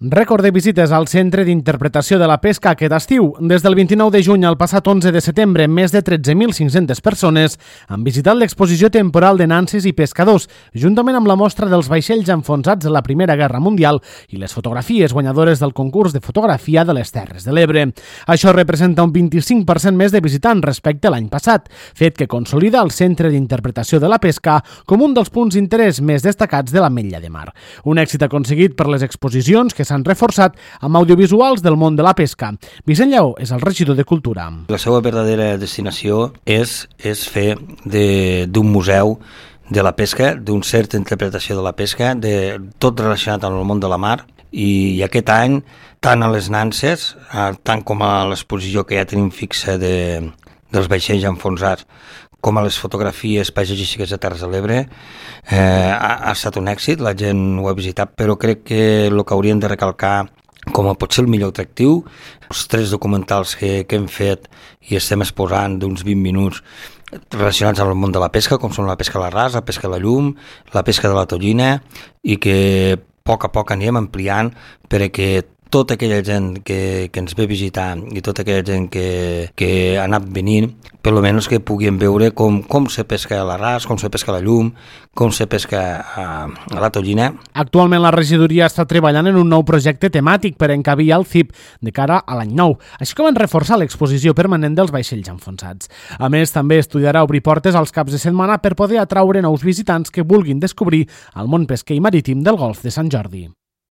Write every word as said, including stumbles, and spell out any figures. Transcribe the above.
Rècord de visites al Centre d'Interpretació de la Pesca aquest estiu. Des del vint-i-nou de juny al passat onze de setembre, més de tretze mil cinc-centes persones han visitat l'exposició temporal de nanses i pescadors, juntament amb la mostra dels vaixells enfonsats de la Primera Guerra Mundial i les fotografies guanyadores del concurs de fotografia de les Terres de l'Ebre. Això representa un vint-i-cinc per cent més de visitants respecte a l'any passat, fet que consolida el Centre d'Interpretació de la Pesca com un dels punts d'interès més destacats de l'Ametlla de Mar. Un èxit aconseguit per les exposicions que s'han reforçat amb audiovisuals del món de la pesca. Vicent Lleó és el regidor de Cultura. La seva verdadera destinació és, és fer d'un museu de la pesca, d'un cert interpretació de la pesca, de tot relacionat amb el món de la mar, i, i aquest any, tant a les nanses, tant com a l'exposició que ja tenim fixa de, dels vaixells enfonsats, com a les fotografies paisatgístiques de Terres de l'Ebre, eh, ha, ha estat un èxit, la gent ho ha visitat, però crec que el que hauríem de recalcar com a potser el millor atractiu, els tres documentals que, que hem fet i estem exposant d'uns vint minuts relacionats amb el món de la pesca, com són la pesca a l'arràs, la pesca a la llum, la pesca de la tonyina, i que a poc a poc anirem ampliant perquè tota aquella gent que, que ens ve visitar i tota aquella gent que, que ha anat venint, per almenys que puguin veure com, com se pesca a l'arràs, com se pesca a la llum, com se pesca a, a la tonyina. Actualment la regidoria està treballant en un nou projecte temàtic per encabir el C I P de cara a l'any nou, així com en reforçar l'exposició permanent dels vaixells enfonsats. A més, també estudiarà obrir portes als caps de setmana per poder atraure nous visitants que vulguin descobrir el món pesquer i marítim del Golf de Sant Jordi.